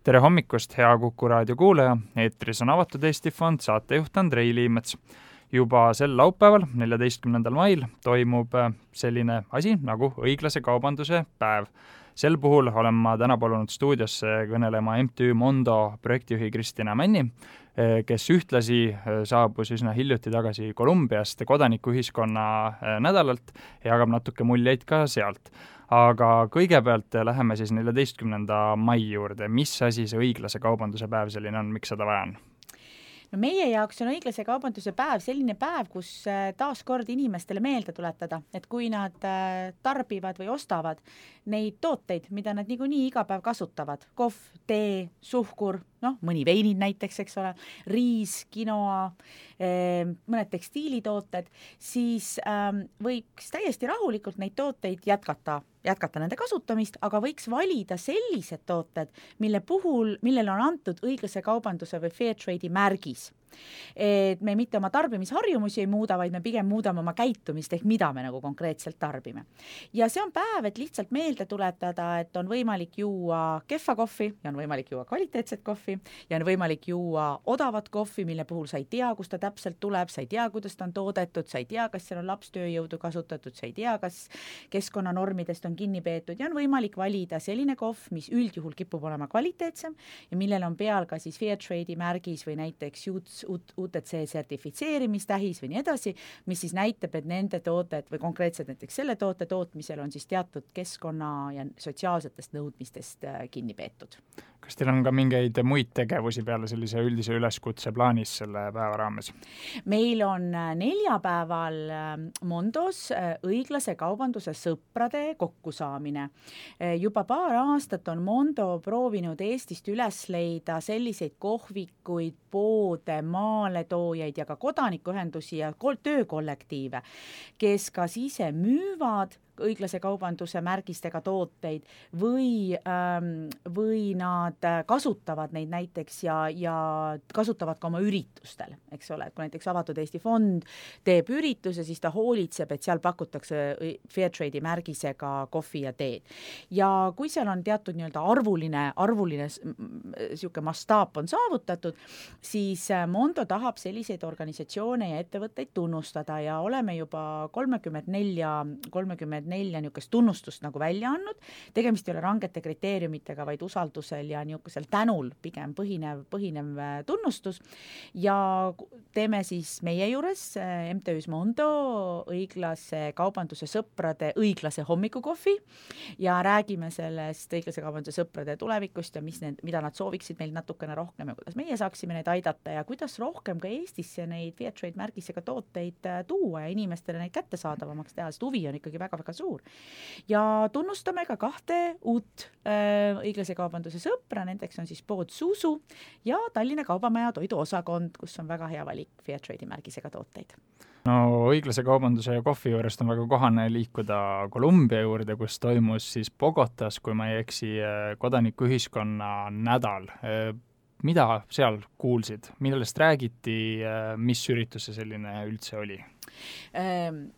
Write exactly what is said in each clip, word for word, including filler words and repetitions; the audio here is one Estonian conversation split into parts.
Tere hommikust, hea Kuku raadio kuulaja, eetris on Avatud Eesti Fond, saatejuht Andrei Liimets. Juba sel laupäeval, neljateistkümnendal mail, toimub selline asi nagu õiglase kaubanduse päev. Sel puhul olen ma täna palunud stuudiosse kõnelema M T Ü Mondo projektijuhi Kristina Männi, kes ühtlasi saabus üsna hiljuti tagasi Kolumbiast kodanikuühiskonna nädalalt ja jagab natuke muljeid ka sealt. Aga kõigepealt läheme siis neljateistkümnenda mai juurde. Mis asi see õiglase kaubanduse päev selline on, miks seda vaja on? No meie jaoks on õiglase kaubanduse päev selline päev, kus taas kord inimestele meelde tuletada, et kui nad tarbivad või ostavad neid tooteid, mida nad niikuinii iga päev kasutavad, kohv, tee, suhkur, noh, mõni veinid näiteks, eks ole, riis, kinoa, mõned tekstiilitooted, siis võiks täiesti rahulikult neid tooteid jätkata jätkata nende kasutamist, aga võiks valida sellised tooted, mille puhul, millele on antud õiglase kaubanduse või fair trade'i märgis. Et me mitte oma tarbimisharjumusi ei muuda, vaid me pigem muudame oma käitumist, ehk mida me nagu konkreetselt tarbime. Ja see on päev, et lihtsalt meelde tuletada, et on võimalik juua kehva kohvi ja on võimalik juua kvaliteetset kohvi ja on võimalik juua odavat kohvi, mille puhul sa ei tea, kust ta täpselt tuleb, sa ei tea, kuidas ta on toodetud, sa ei tea, kas seal on lapstööjõudu kasutatud, sa ei tea, kas keskkonnanormidest on kinni peetud ja on võimalik valida selline kohv, mis üldjuhul kipub olema kvaliteetsem ja millel on peal ka siis fair trade'i märgis või näiteks U T C sertifitseerimistähis või nii edasi, mis siis näitab, et nende tooted või konkreetselt näiteks selle toote tootmisel on siis teatud keskkonna ja sotsiaalsetest nõudmistest kinni peetud. Kas teil on ka mingeid muid tegevusi peale sellise üldise üleskutse plaanis selle päeva raames? Meil on neljapäeval Mondos õiglase kaubanduse sõprade kokkusaamine. Juba paar aastat on Mondo proovinud Eestist üles leida selliseid kohvikuid, poode, maaletoojaid ja ka kodanikuühendusi ja töökollektiive, kes kas ise müüvad õiglase kaubanduse märgistega tooteid või, ähm, või nad kasutavad neid näiteks ja, ja kasutavad ka oma üritustel, eks ole, et kui näiteks Avatud Eesti Fond teeb ürituse, siis ta hoolitseb, et seal pakutakse fair trade'i märgisega kohvi ja teed. Ja kui seal on teatud nii-öelda arvuline, arvuline siuke mastaap on saavutatud, siis Mondo tahab selliseid organisatsioone ja ettevõtteid tunnustada ja oleme juba kolmekümmend neli, kolmekümmend nelja niisugust tunnustust nagu välja andnud. Tegemist ei ole rangete kriteeriumitega, vaid usaldusel ja niisugusel tänul pigem põhinev, põhinev tunnustus. Ja teeme siis meie juures M T Ü Mondo õiglase kaubanduse sõprade õiglase hommikukohvi ja räägime sellest õiglase kaubanduse sõprade tulevikust ja mis need, mida nad sooviksid meil natukene rohkem ja kuidas meie saaksime neid aidata ja kuidas rohkem ka Eestisse neid fair trade märgisega tooteid tuua ja inimestele neid kättesaadavamaks teha, sest huvi on ikkagi väga-väga suur. Ja tunnustame ka kahte uut äh, õiglase kaubanduse sõpra, nendeks on siis pood Susu ja Tallinna Kaubamaja toiduosakond, kus on väga hea valik fair trade'i märgisega tooteid. No õiglase kaubanduse ja kohvi juurest on väga kohane liikuda Kolumbia juurde, kus toimus siis Bogotas, kui ma ei eksi, kodanikuühiskonna nädal. Mida seal kuulsid? Millest räägiti? Mis üritus see selline üldse oli? Ähm.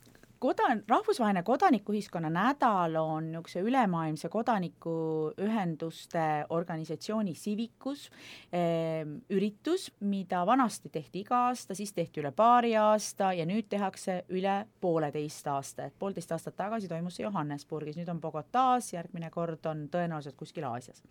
Kodan, rahvusvaheline kodanikuühiskonna nädal on niisuguse ülemaailmse kodanikuühenduste organisatsiooni Civicus eh, üritus, mida vanasti tehti iga aasta, siis tehti üle paari aasta ja nüüd tehakse üle pooleteist aasta. Et poolteist aastat tagasi toimus see Johannesburgis, nüüd on Bogotas, järgmine kord on tõenäoliselt kuskil Aasias.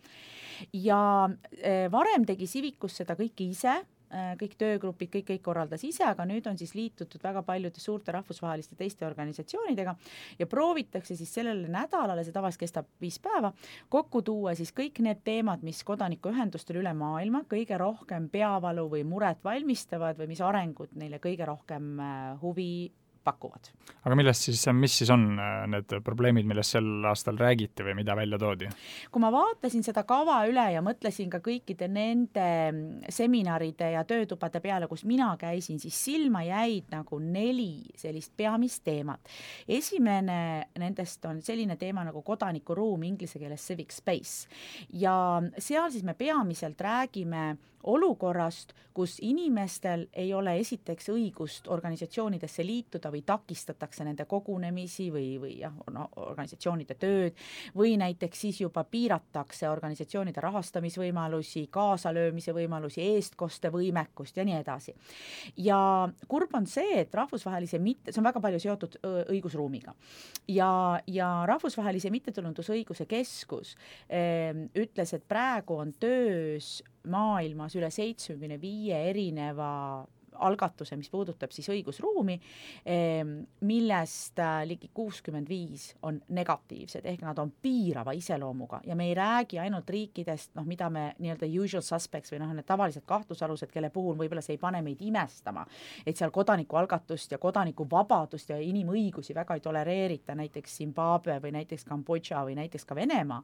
Ja eh, varem tegi Civicus seda kõike ise, kõik töögrupid, kõik, kõik korraldas ise, aga nüüd on siis liitutud väga paljude suurte rahvusvaheliste teiste organisatsioonidega ja proovitakse siis sellele nädalale, see tavaliselt kestab viis päeva, kokku tuua siis kõik need teemad, mis kodanikuühendustel üle maailma kõige rohkem peavalu või muret valmistavad või mis arengud neile kõige rohkem huvi pakuvad. Aga millest siis, mis siis on need probleemid, millest sel aastal räägiti või mida välja toodi? Kui ma vaatasin seda kava üle ja mõtlesin ka kõikide nende seminaride ja töötubade peale, kus mina käisin, siis silma jäid nagu neli sellist peamist teemat. Esimene nendest on selline teema nagu kodanikuruum, inglise keeles civic space. Ja seal siis me peamiselt räägime olukorrast, kus inimestel ei ole esiteks õigust organisatsioonidesse liituda või takistatakse nende kogunemisi või, või jah, no, organisatsioonide tööd või näiteks siis juba piiratakse organisatsioonide rahastamisvõimalusi, kaasalöömise võimalusi, eestkoste võimekust ja nii edasi. Ja kurb on see, et rahvusvahelise mitte, see on väga palju seotud õigusruumiga ja, ja rahvusvahelise mittetulundusõiguse keskus eh, ütles, et praegu on töös maailmas üle seitsmekümne viie erineva algatuse, mis puudutab siis õigusruumi, millest ligi kuuskümmend viis on negatiivsed, ehk nad on piirava iseloomuga ja me ei räägi ainult riikidest, noh, mida me nii-öelda usual suspects või noh, need tavalised kahtlusalused, kelle puhul võib-olla see ei pane meid imestama, et seal kodanikualgatust ja kodanikuvabadust ja inimõigusi väga ei tolereerita, näiteks Zimbabwe või näiteks Kambodža või näiteks ka Venemaa,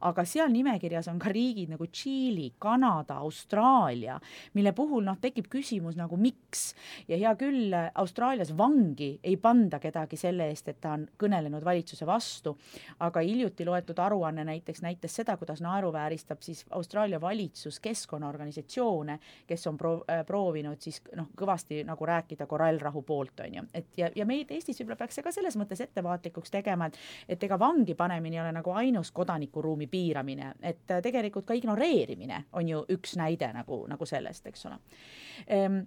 aga seal nimekirjas on ka riigid nagu Tšiili, Kanada, Austraalia, mille puhul noh, tekib küsimus nagu miks ja hea küll, Austraalias vangi ei panda kedagi selle eest, et ta on kõnelenud valitsuse vastu, aga hiljuti loetud aruanne näiteks näitas seda, kuidas naeruvääristab siis Austraalia valitsus keskkonnaorganisatsioone, kes on pro- proovinud siis noh, kõvasti nagu rääkida korallrahu poolt, on ju. Et ja, ja meid Eestis võib-olla peaks ka selles mõttes ettevaatlikuks tegema, et, et ega vangi panemine ei ole nagu ainus kodanikuruumi piiramine, et tegelikult ka ignoreerimine on ju üks näide nagu, nagu sellest, eks ole. Ehm,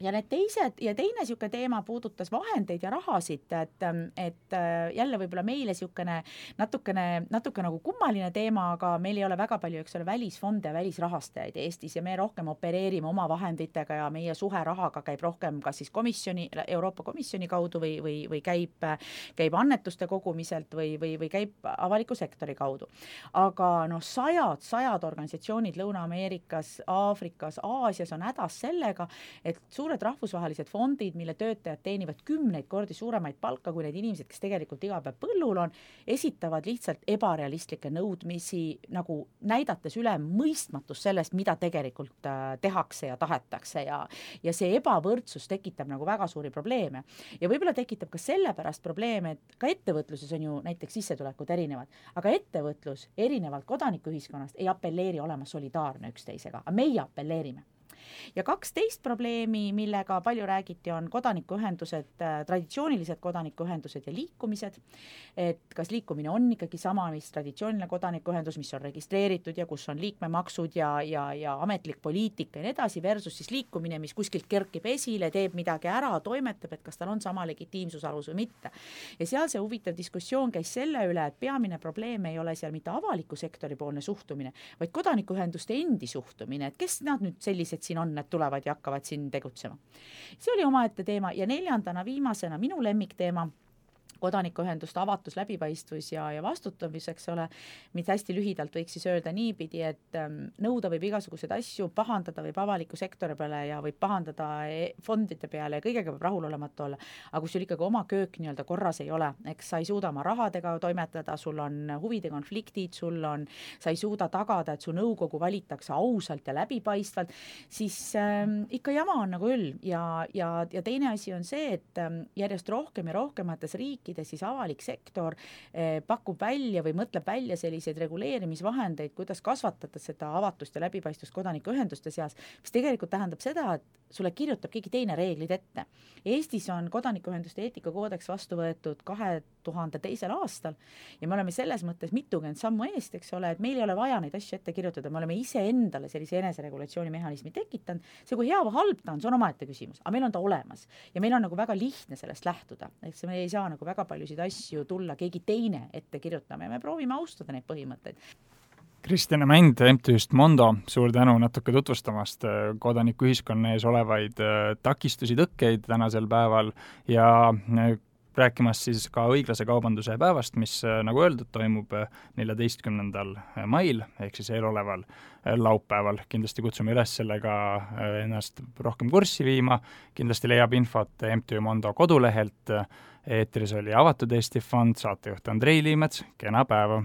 ja need teised ja teine siuke teema puudutas vahendeid ja rahasid, et, et jälle võib-olla meile siukene natukene, natuke nagu kummaline teema, aga meil ei ole väga palju, eks ole, välisfonde ja välisrahastajaid Eestis ja me rohkem opereerime oma vahenditega ja meie suhe rahaga käib rohkem kas siis komisjoni, Euroopa Komisjoni kaudu või, või, või käib, käib annetuste kogumiselt või, või, või käib avaliku sektori kaudu. Aga noh, sajad, sajad organisatsioonid Lõuna-Ameerikas, Aafrikas, Aasias on hädas sellega, et suured rahvusvahelised fondid, mille töötajad teenivad kümneid kordi suuremaid palka kui need inimesed, kes tegelikult iga päev põllul on, esitavad lihtsalt ebarealistlikke nõudmisi, nagu näidates üle mõistmatus sellest, mida tegelikult äh, tehakse ja tahetakse ja, ja see ebavõrdsus tekitab nagu väga suuri probleeme. Ja võib-olla tekitab ka sellepärast probleeme, et ka ettevõtluses on ju näiteks sissetulekud erinevad, aga ettevõtlus erinevalt kodanikuühiskonnast ei apelleeri olema solidaarne üksteisega, aga meie apelleerime. Ja kaksteist probleemi, millega palju räägiti, on kodanikuühendused, traditsioonilised kodanikuühendused ja liikumised, et kas liikumine on ikkagi sama, mis traditsiooniline kodanikuühendus, mis on registreeritud ja kus on liikmemaksud ja, ja, ja ametlik poliitika ja nii edasi, versus siis liikumine, mis kuskilt kerkib esile, teeb midagi ära, toimetab, et kas tal on sama legitiimsusalus või mitte. Ja seal see huvitav diskussioon käis selle üle, et peamine probleem ei ole seal mitte avaliku sektori poolne suhtumine, vaid kodanikuühenduste endi suhtumine, et kes nad nüüd sellised siin on, need tulevad ja hakkavad siin tegutsema. See oli omaette teema ja neljandana viimasena minu lemmikteema, kodanikuühenduste avatus, läbipaistvus ja, ja vastutamis, eks ole, mida hästi lühidalt võiks siis öelda niipidi, et nõuda võib igasuguseid asju, pahandada võib avaliku sektori peale ja võib pahandada fondide peale ja kõigega võib rahulolematu olla, aga kui sul ikkagi oma köök nii-öelda korras ei ole, eks sa ei suuda oma rahadega toimetada, sul on huvide konfliktid, sul on, sa ei suuda tagada, et su nõukogu valitakse ausalt ja läbipaistvalt, siis ähm, ikka jama on nagu üll ja, ja, ja teine asi on see, et ähm, järjest rohkem ja rohkemates riikides siis avalik sektor eh, pakub välja või mõtleb välja selliseid reguleerimisvahendeid, kuidas kasvatada seda avatust ja läbipaistvust kodanikuühenduste seas, mis tegelikult tähendab seda, et sulle kirjutab keegi teine reeglid ette. Eestis on kodanikuühenduste eetikakoodeks vastu võetud kahe tuhande teisel aastal ja me oleme selles mõttes mitukümmend sammu eest, eks ole, et meil ei ole vaja neid asju ette kirjutada, me oleme ise endale sellise eneseregulatsiooni mehhanismi tekitanud, see kui hea või halb ta on, see on omaette küsimus, aga meil on ta olemas ja meil on nagu väga lihtne sellest lähtuda, eks me ei saa nagu väga paljusid asju tulla keegi teine ette kirjutama ja me proovime austada neid põhimõtteid. Kristjana Mänd M T-st Mondo, suur tänu natuke tutvustamast kodanikuühiskonna ees olevaid takistusi, tõkkeid tänasel päeval ja rääkimas siis ka õiglase kaubanduse päevast, mis nagu öeldud, toimub neljateistkümnendal mail ehk siis eeloleval laupäeval. Kindlasti kutsume üles sellega ennast rohkem kurssi viima, kindlasti leiab infot M T Mondo kodulehelt. Eetris oli Avatud Eesti Fond, saatejuht Andrei Liimets, kena päeva!